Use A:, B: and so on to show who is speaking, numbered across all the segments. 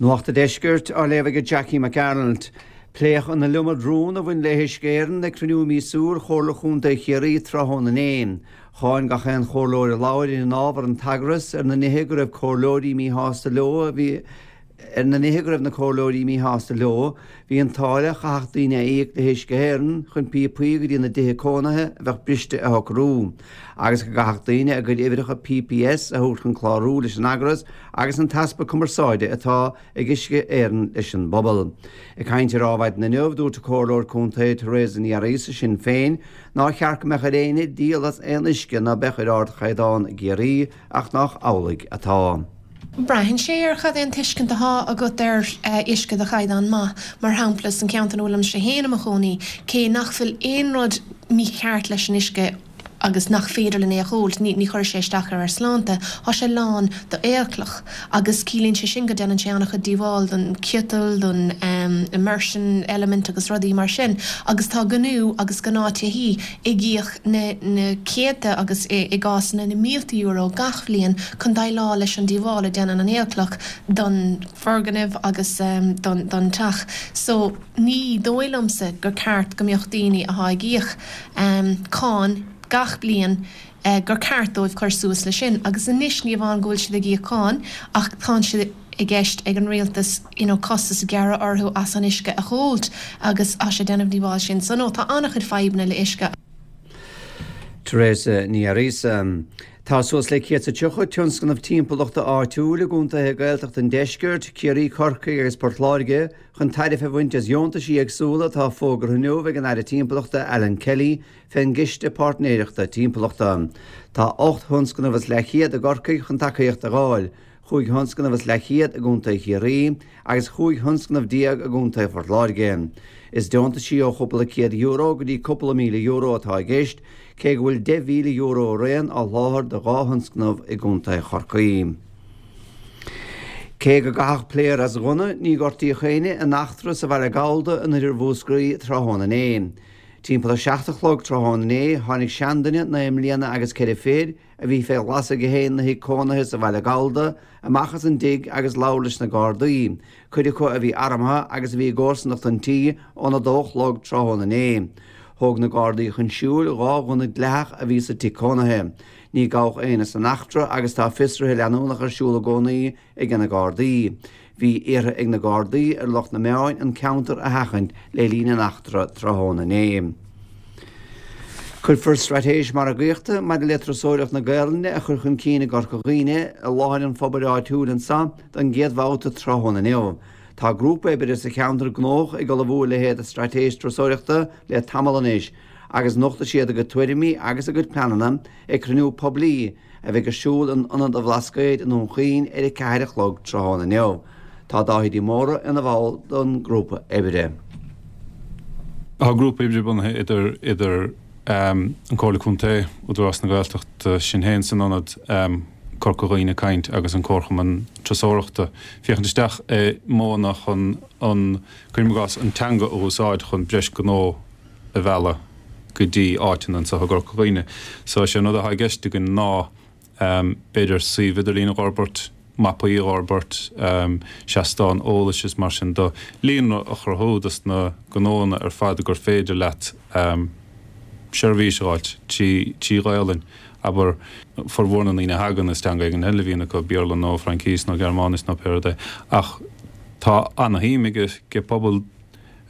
A: Nuacht an Deiscirt á léamh ag Jackie Mac Gearailt. Pléadh an iliomad rún a bhain le hUisce Éireann ag cruinniú míosúil Chomhairle Chontae Chiarraí tráthnóna inné. Cháin gach aon chomhairleoir a labhair ar an ábhar an t-eagras ar na nithe go raibh comhairleoirí míshásta leo a bhí Ar na nithe go raibh na comhairleoirí míshásta leo, bhí an táille a chaithfeadh daoine a íoc le hUisce Éireann chun píopaí go dtí na dtithe cónaithe a bheadh briste a shocrú, agus go gcaithfeadh daoine a gcuid uimhreacha PPS a thabhairt chun clárú leis an eagras agus an t-easpa cumarsáide atá ag Uisce Éireann leis an bpobal. Ag caint ar Adhmhaidin inniu, dúirt an Comhairleoir Contae Teresa Ní Fhearghusa, Sinn Féin, nár cheart go mbeadh ar éinne díol as aon uisce ná beadh ar ardchaighdeán i gCiarraí ach nách amhlaidh atá.
B: Braitheann sé ar cad é an tuiscint atá agat ar uisce de chaighdeán maith. Mar shampla, san ceantar ina bhfuilimse féin i mo chónaí, cé nach bhfuil aon rud mícheart leis an uisce agus nach féidir linn é a dh'ól, ní chuirfidh sé isteach ar ár sláinte, tá sé lán d'aolchloch agus ciallaíonn sé sin go déanann sé an-chuid díobháil don ciotal, don immersion element agus rudaí mar sin agus tá gnó agus gnáth-tithí ag íoc na na céadta agus i gcásanna na mílte euro gach bhliain chun déileáil leis an díobháil a déanann an aolchloch don foirgneamh agus don don teach. So ní dóigh liomsa gur ceart go mbeadh daoine athá ag íoc cáin gach bliain gur ceart dóibh cur suas le sin agus anois ní amháin go bhfuil siad ag íoc cáin ach tá sé i gceist ag an rialtas you know costas a ghearradh orthu as an uisce a dh'ól agus tá sé ag déanamh díobháil sin. So no tá an-chuid fadhbanna le uisce.
A: Teresa Ní Fhearghusa. Tá suas le 130 tionscnamh timpeallachta áitiúil i gcontaetha Gaeltachta an deiscirt, Ciarraí, Corcaigh agus Port Láirge, chun tairbhe a bhaint as dheontaisí éagsúla atá fógartha inniu ag an Aire Timpeallachta Alan Kelly fén gCiste Páirtnéireachta Timpeallachta. Tá 8 thionscnamh is leathchéad i gCorcaigh chun tacaíocht a dh'fháil, chúig thionscnamh is leathchéad i gContae Chiarraí agus chúig thionscnamh déag i gContae Phort Láirge. Is deontaisí ó chúpla €100 go dtí cúpla €1,000 atá i gceist, cé go bhfuil €10,000 araon á sholáthar do dhá thionscnamh i gContae Chorcaí. Cé go gcaitheadh pléar as ghunna, ní gortaíodh éinne in eachtra sa Bhaile Gallda in oirthear Mhúscraí tráthnóna inné. Timpeall a 7 a chlog tráthnóna inné, tháinig seanduine, 9 mbliana agus ceithre fichid, a bhí fé ghlas aige féin 'na thigh cónaithe sa Bhaile Gallda, amach as an dtigh agus labhair leis na Gardaí, cuid acu a bhí armtha agus a bhí i gcomharsanacht an tí óna dó a chlog tráthnóna inné. Thóg na Gardaí chun siúil dhá ghunna dleathach a bhí sa tigh cónaithe. Ní gabhadh éinne san eachtra agus tá fiosruithe leanúnach ar siúl i gcónaí ag na Gardaí. Bhí iarrtha ag na Gardaí ar lucht na meáin an ceantar a sheachaint le linn an eachtra tráthnóna inné. Cuirfear straitéis margaíochta maidir le turasóireacht na Gaelainne a chur chun cinn i gCorca Dhuibhne i láthair an phobail áitiúil anso don gcéad bhabhta tráthnóna inniu. Tá grúpa oibre sa cheantar gnóthach ag ullmhú a leithéid de straitéis turasóireachta le tamall anois agus nochtfaidh siad a gcuid tuairimí agus a gcuid pleananna ag cruinniú poiblí a bheidh ar siúl in Ionad an Bhlascaoid i nDún Chaoin ar a 4 a chlog tráthnóna inniu. Tá Dáithí de Mórdha ina bhall don grúpa oibre.
C: Tá grúpa oibre bunaithe idir idir an Comhairle Contae, Údarás na Gaeltachta, sinn féin san ionad, Corca Dhuibhne ag Caint agus an Comharchumann Turasóireachta, féachaint isteach i modhanna chun an, cuirim i gcás, an teanga a úsáid chun breis gnó a mhealladh go dtí áiteanna anseo i gCorca Dhuibhne. So is é an rud atá i gceist againn ná b'fhéidir suíomh idirlín a dh'fhorbairt, mapaí a dh'fhorbairt, seastán eolais is mar sin de, líonra a chruthú dos na gnóanna ar fad gur féidir leat seirbhís a dh'fháilt trí trí Ghaolainn. Abair, formhór na ndaoine a thagann, is teanga éigin eile a bhíonn acu, Béarla nó Fraincís nó Gearmáinis nó pé rud é, ach tá ana-shuim ag pobal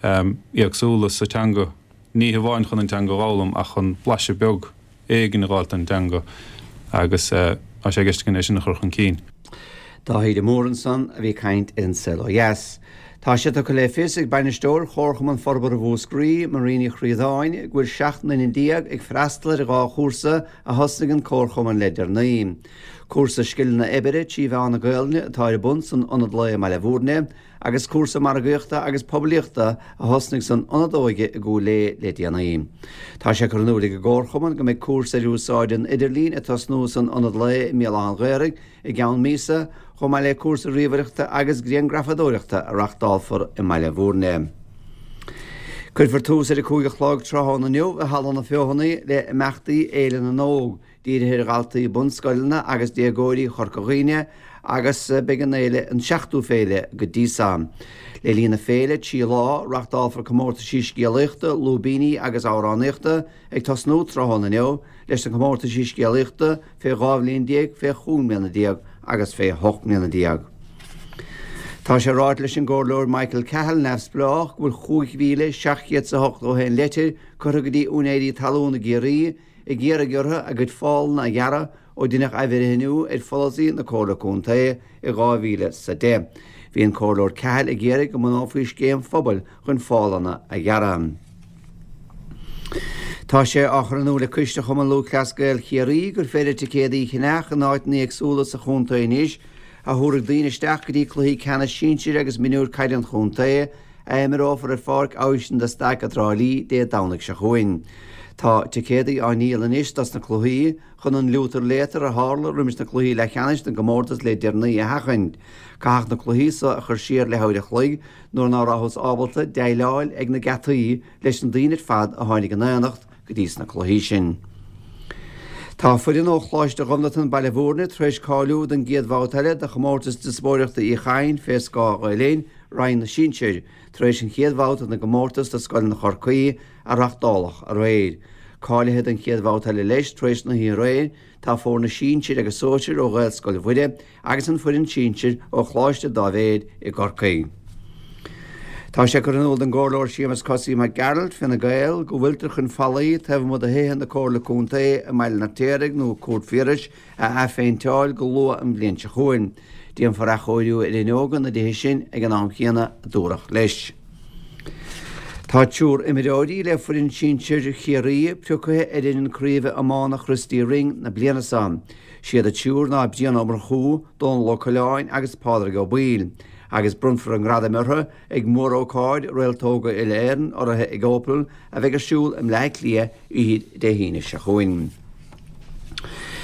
C: éagsúla sa teanga, ní hamháin chun an teanga a dh'fhoghlaim ach chun blaiseadh beag éigin a dh'fháilt den dteanga agus tá sé i gceist againn é sin a chur chun cinn.
A: Dáithí de Mórdha ansan a bhí ag caint ar An Saol Ó Dheas. Tá sé tugtha le fios ag Bainisteoir Chomharchumann Forbartha Mhúscraí, Marie Ní Chríodáin, go bhfuil 17 nduine ag freastal ar dhá chúrsa a thosnaigh an Comharchumann le deireanaí. Cúrsa scileanna oibre trí mheán na Gaolainne atá ar bun san Ionad Lae i mBaile Bhúirne, agus cúrsa margaíochta agus poiblíochta a thosnaigh san Ionad Óige i gCúil Aodha le déanaí. Tá sé curtha in iúl ag an gComharchumann go mbeidh cúrsa ar úsáid an idirlín ag tosnú san Ionad Lae i mBéal Átha an Ghaorthaidh i gceann míosa, chomh maith le cúrsa ríomhaireachta agus grianghrafadóireachta a reachtálfar i mBaile Bhúirne. Cuirfear tús ar a 5 a chlog tráthnóna inniu i Halla na Feothanaí le imeachtaí Fhéile na nÓg. Dírithe ar dhaltaí bunscoileanna agus déagóirí Chorca Dhuibhne. agus beidh an fhéile an seachtú féile go dtí so. Le linn na féile, 3 lá, reachtálfar comórtaisí scéalaíochta, lúibíní agus amhránaíochta, ag tosnú tráthnóna inniu leis na comórtaisí scéalaíochta fé 12 bhliain, fé chúig mbliana déag agus fé hocht mbliana déag. Tá sé ráite leis an gComhairleoir Michael Cahill, Neamhspleách, go bhfuil 5,781 leitir curtha go dtí úinéirí talún i gCiarraí ag iarraidh orthu a gcuid fálanna a ghearradh ó deineadh athbhreithniú ar pholasaí na Comhairle Contae i 2010. Bhí an Comhairleoir Cahill ag iarraidh go mbunófaí scéim phobail chun fálanna a ghearradh. Tá sé á chur in iúl ag Coiste Chumann Lúthchleas Gael Chiarraí gur féidir ticéadaí a cheannach in áiteanna éagsúla sa chontae anois a thabharfaidh daoine isteach go dtí cluichí ceannais sinsir agus mionúir caide an chontae a imreofar ar Pháirc Oisin de Staic i dTrá Lí Dé Domhnaigh seo chugainn. Tá ticéadaí á ndíol anois dos na cluichí chun an liútar léatar a tharla roimis na cluichí leathcheannais den gcomórtas le deireanaí a sheachaint. Caitheadh na cluichí so a chur siar leathuair a chloig nuair ná rabhthas ábalta déileáil ag na geataí leis na daoine ar fad a tháinig in aonacht go dtí sna cluichí sin. Tá foireann ó Choláiste Ghobnatan, Baile Bhúirne tar éis cáiliú don gcéad bhabhta eile de chomórtas Diospóireachta Uí Chadhain fé scáth Ghael Linn, Roinn na Sinsear, tar éis an chéad bhabhta den gcomórtas do scoileanna Chorcaí a reachtáladh aréir. Cáilithe don chéad bhabhta eile leis tar éis na hoíche aréir tá foirne sinsir agus sóisir ó Ghaelscoil Mhuire agus an foireann sinsir ó Choláiste Dáibhéid i gCorcaigh. Tá sé curtha in iúl don gComhairleoir Séamus Cosaí Mac Gearailt, Fine Gael, go bhfuiltear chun fallaí taobh amuigh de thithe na Comhairle Contae i mBaile an Fheirtéaraigh nó Cúirt Phiarais a athphéinteáil go luath an bhliain seo chugainn. Déanfar athchóiriú ar fhuinneoga na dtithe sin ag an am chéanna, a dúradh leis. Tá triúr imreoirí le foireann sinsir Chiarraí pioctha ar fhoireann craoibhe iomána Christy Ring na bliana seo. Siad an triúr ná Brian Ó Murchú, Dónal Ó Coileáin agus Pádraig Ó Baoill, agus bronnfar a ngradaim orthu ag mórócáid Réaltóga Uile-Éireann urraithe ag Opel a bheidh ar siúl i mBleá Cliath oíche Dé hAoine seo chugainn.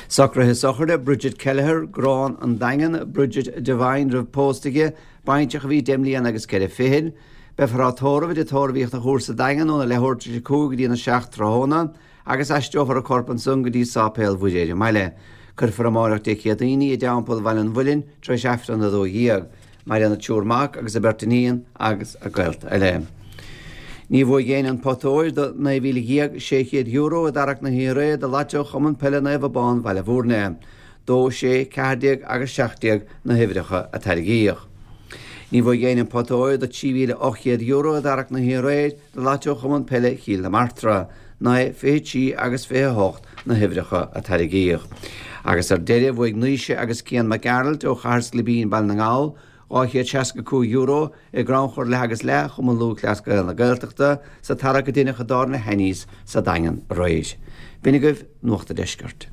A: Socruithe sochraide Bridget Kelleher, Grán an Daingean, Bridget Devine roimh pósta di, baintreach a bhí 10 mbliana agus 4 fichid. Beifear á tórramh i dTigh Tórraimh Uí Chonchúir sa Daingean óna leathuair tar éis a 5 go dtí a 7 tráthnóna. agus aistreofar a corp ansan go dtí Sáipéal Mhuire ar an mbaile. Cuirfear amáireach Dé Céadaoin í i dTeampall Bhaile an Mhuilinn tar éis Aifreann 12. Maireann a triúr mac agus a beirt iníon agus a gaolta eile. Ní bhuaigh éinne an pota óir de €19,600 i dtarrac na hoíche aréir do Lató Chumann Peile Naomh Abán Bhaile Bhúirne. 2, 6, 14 agus 17 na huimhreacha a tairgíodh. Ní bhuaigh éinne an pota óir de €3,800 i dtarrac na hoíche aréir do Lató Chumann Peile Chill na Martra, 9, 23 agus 28 na huimhreacha a tairgíodh. Agus ar deireadh, bhuaigh Naoise agus Cian Mac Gearailt ó Chathair Sklibín, Baile na nGall, €265 i gcrannchur leath agus leath Chumann Lúthchleas Gael na Gaeltachta sa tarrac a deineadh i dTábhairne Hannies sa Daingean aréir. B'in agaibh Nuacht a' Deiscirt.